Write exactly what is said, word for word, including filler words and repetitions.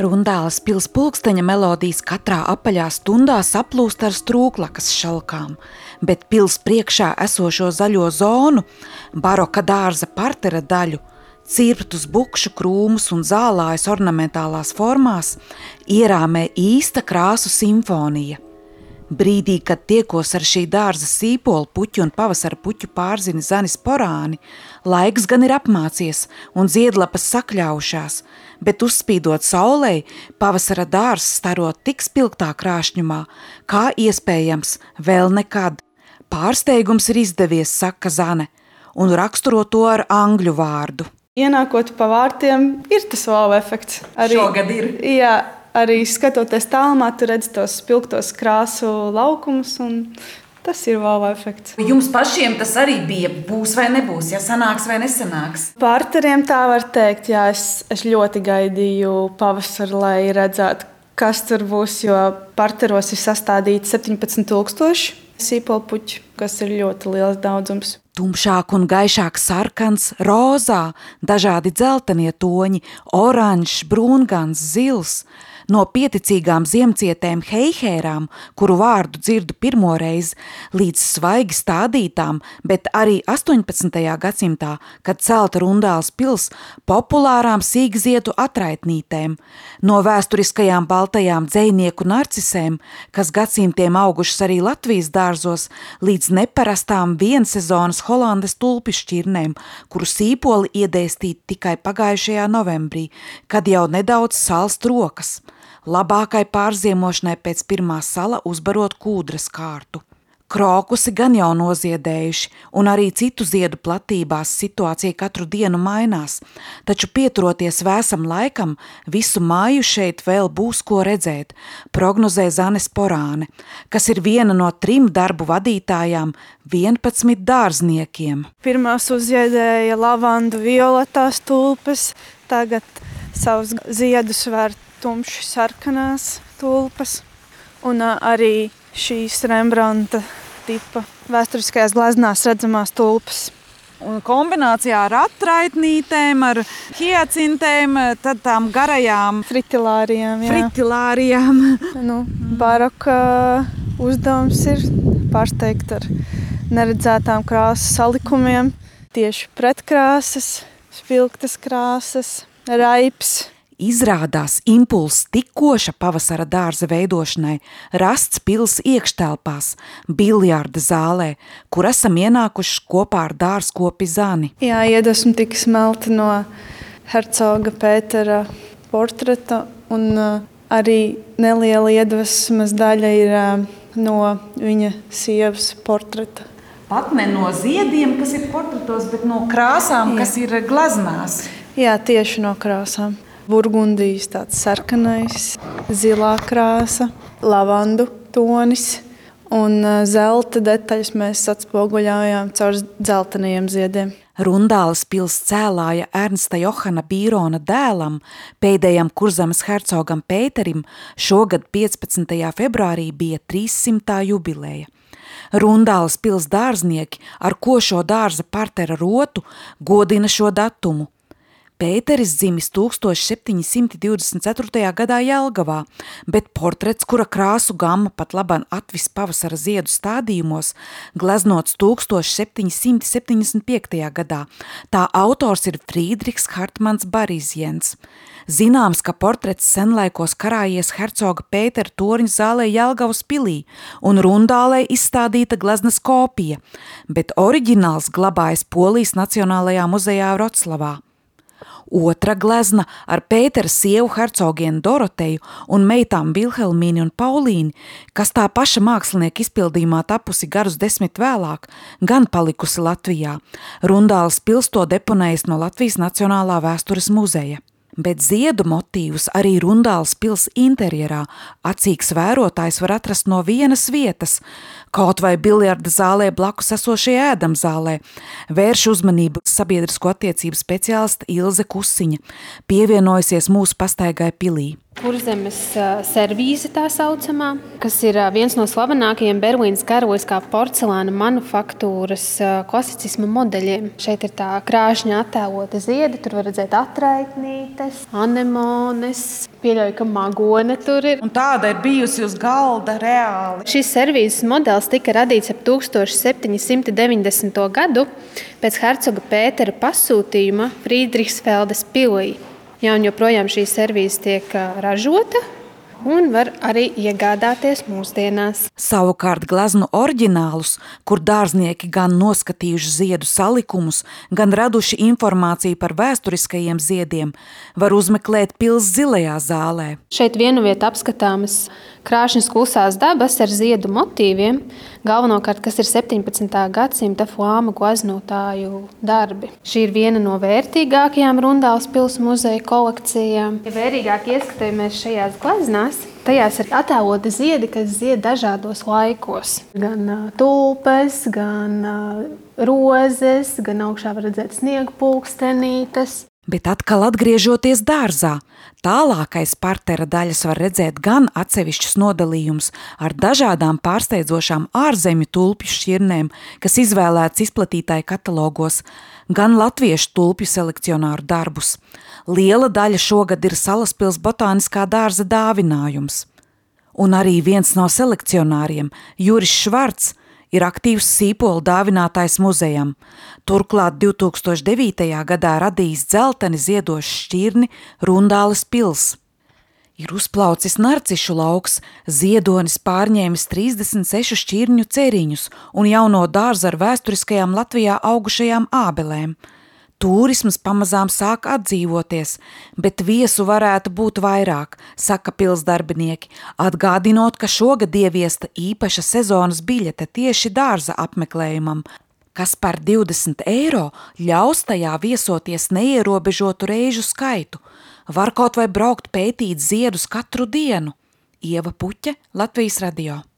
Rundāles pils pulksteņa melodijas katrā apaļā stundā saplūst ar strūklakas šalkām, bet pils priekšā esošo zaļo zonu, baroka dārza partera daļu, cirptus bukšu krūmus un zālājas ornamentālās formās ierāmē īsta krāsu simfonija. Brīdī, kad tiekos ar šī dārza sīpolu puķu un pavasara puķu pārzini Zanis Porāni, laiks gan ir apmācies un ziedlapas sakļaušās, bet uzspīdot saulei, pavasara dārzs staro tik spilgtā krāšņumā, kā iespējams vēl nekad. Pārsteigums ir izdevies, saka Zane, un raksturo to ar angļu vārdu. Ienākot pa vārtiem, ir tas wow efekts. Arī, Šogad ir. Jā, arī skatoties tālumā, tu redzi tos spilgtos krāsu laukumus, un tas ir wow efekts. Jums pašiem tas arī bija būs vai nebūs, ja sanāks vai nesanāks? Parteriem tā var teikt, jā, es, es ļoti gaidīju pavasaru, lai redzētu, kas tur būs, jo parteros ir sastādīti septiņpadsmit tūkstoši sīpolu puķi, kas ir ļoti liels daudzums. Tumšāk un gaišāk sarkans, rozā, dažādi dzeltenie toņi, oranžs, brūngans, zils. No pieticīgām ziemcietēm heihērām, kuru vārdu dzirdu pirmoreiz, līdz svaigi stādītām, bet arī astoņpadsmitajā gadsimtā, kad celta Rundāles pils, populārām sīkziedu atraitnītēm, no vēsturiskajām baltajām dzejnieku narcisēm, kas gadsimtiem augušas arī Latvijas dārzos, līdz neparastām viensezonas Holandes tulpišķirnēm, kuru sīpoli iedēstīt tikai pagājušajā novembrī, kad jau nedaudz salst rokas. Labākai pārziemošanai pēc pirmā sala uzbarot kūdras kārtu. Krokusi gan jau noziedējuši, un arī citu ziedu platībās situācija katru dienu mainās, taču pieturoties vēsam laikam, visu māju šeit vēl būs ko redzēt, prognozē Zanes Porāne, kas ir viena no trim darbu vadītājām vienpadsmit dārzniekiem. Pirmās uzziedēja lavandu violetās tulpes, tagad savus ziedus vērt tumši sarkanās tulpas un arī šīs Rembrandta tipa vēsturiskajās gleznās redzamās tulpas. Un kombinācijā ar atraitnītēm, ar hiacintēm, tad tām garajām fritilārijām. Jā. fritilārijām. Nu, baroka uzdevums ir pārsteigt ar neredzētām krāsas salikumiem. Tieši pretkrāsas, spilgtas krāsas, raips. Izrādās impulss tikkoša pavasara dārza veidošanai rasts pils iekštelpās, biljarda zālē, kur esam ienākuši kopā ar dārzkopi Zani. Jā, iedvesma tika smelta no hercoga Pētera portreta, un arī neliela iedvesmas daļa ir no viņa sievas portreta. Pat ne no ziediem, kas ir portretos, bet no krāsām, Jā. Kas ir gleznās. Jā, tieši no krāsām. Burgundijas tāds sarkanais, zilā krāsa, lavandu tonis un zelta detaļas mēs atspoguļājām caur dzeltenajiem ziediem. Rundāles pils cēlāja Ernsta Johana Bīrona dēlam, pēdējam Kurzemes hercogam Pēterim, šogad piecpadsmitajā februārī bija trīssimtā jubileja. Rundāles pils dārznieki ar košo dārza partera rotu godina šo datumu. Pēteris dzimis tūkstoš septiņi simti divdesmit ceturtajā gadā Jelgavā, bet portrets, kura krāsu gamma pat laban atvis pavasara ziedu stādījumos, gleznots tūkstoš septiņi simti septiņdesmit piektajā gadā. Tā autors ir Frīdriks Hartmans Barizjens. Zināms, ka portrets senlaikos karājies hercoga Pētera torņa zālē Jelgavas pilī un Rundālē izstādīta gleznas kopija, bet oriģināls glabājas Polijas Nacionālajā muzejā Vroclavā. Otra glezna ar Pētera sievu hercogienu Doroteju un meitām Vilhelmīni un Paulīni, kas tā paša mākslinieka izpildījumā tapusi garus desmit vēlāk, gan palikusi Latvijā. Rundāles pils to deponējis no Latvijas Nacionālā vēstures muzeja. Bet ziedu motīvus arī Rundāles pils interjerā acīgs vērotājs var atrast no vienas vietas, kaut vai biljarda zālē blakus esošajā ēdamzālē, vērš uzmanību sabiedrisko attiecību speciāliste Ilze Kusiņa, pievienojusies mūsu pastaigai pilī. Kurzemes servīze tā saucamā, kas ir viens no slavenākajiem Berlīnes karaliskā porcelāna manufaktūras klasicisma modeļiem. Šeit ir tā krāšņa attēlota ziedi, tur var redzēt atraitnītes, anemones, pieļauju, ka magone tur ir. Un tāda ir bijusi uz galda reāli. Šis servīzes modelis tika radīts ap tūkstoš septiņi simti deviņdesmito gadu pēc hercoga Pētera pasūtījuma Frīdrihsfeldes pilī. Jā, un joprojām šī servīze tiek ražota un var arī iegādāties mūsdienās. Savukārt gleznu oriģinālus, kur dārznieki gan noskatījuši ziedu salikumus, gan raduši informāciju par vēsturiskajiem ziediem, var uzmeklēt pils zilajā zālē. Šeit vienu vietu apskatāmas krāšņas klusās dabas ar ziedu motīviem, galvenokārt, kas ir septiņpadsmitā gadsimta flāmu gleznotāju darbi. Šī ir viena no vērtīgākajām Rundāles pils muzeja kolekcijām. Ja vērīgāk ieskatāmies šajās gleznās, tajās ir attēloti ziedi, kas zied dažādos laikos. Gan tulpes, gan rozes, gan augšā var redzēt sniegu pulkstenītes. Bet atkal atgriežoties dārzā, tālākais partera daļas var redzēt gan atsevišķus nodalījumus ar dažādām pārsteidzošām ārzemju tulpju šķirnēm, kas izvēlēts izplatītāju katalogos, gan latviešu tulpju selekcionāru darbus. Liela daļa šogad ir Salaspils botāniskā dārza dāvinājums. Un arī viens no selekcionāriem, Juris Švarts, ir aktīvs sīpolu dāvinātājs muzejam. Turklāt divtūkstoš devītajā gadā radījis dzelteni ziedošu šķirni Rundāles pils. Ir uzplaucis narcišu lauks, ziedonis pārņēmis trīsdesmit sešu šķirņu ceriņus un jauno dārzu ar vēsturiskajām Latvijā augušajām ābelēm. Tūrisms pamazām sāk atdzīvoties, bet viesu varētu būt vairāk, saka pils darbinieki, atgādinot, ka šogad ieviesta īpaša sezonas biļete tieši dārza apmeklējumam, kas par divdesmit eiro ļaus tajā viesoties neierobežotu reižu skaitu. Var kaut vai braukt pētīt ziedus katru dienu. Ieva Puķe, Latvijas radio.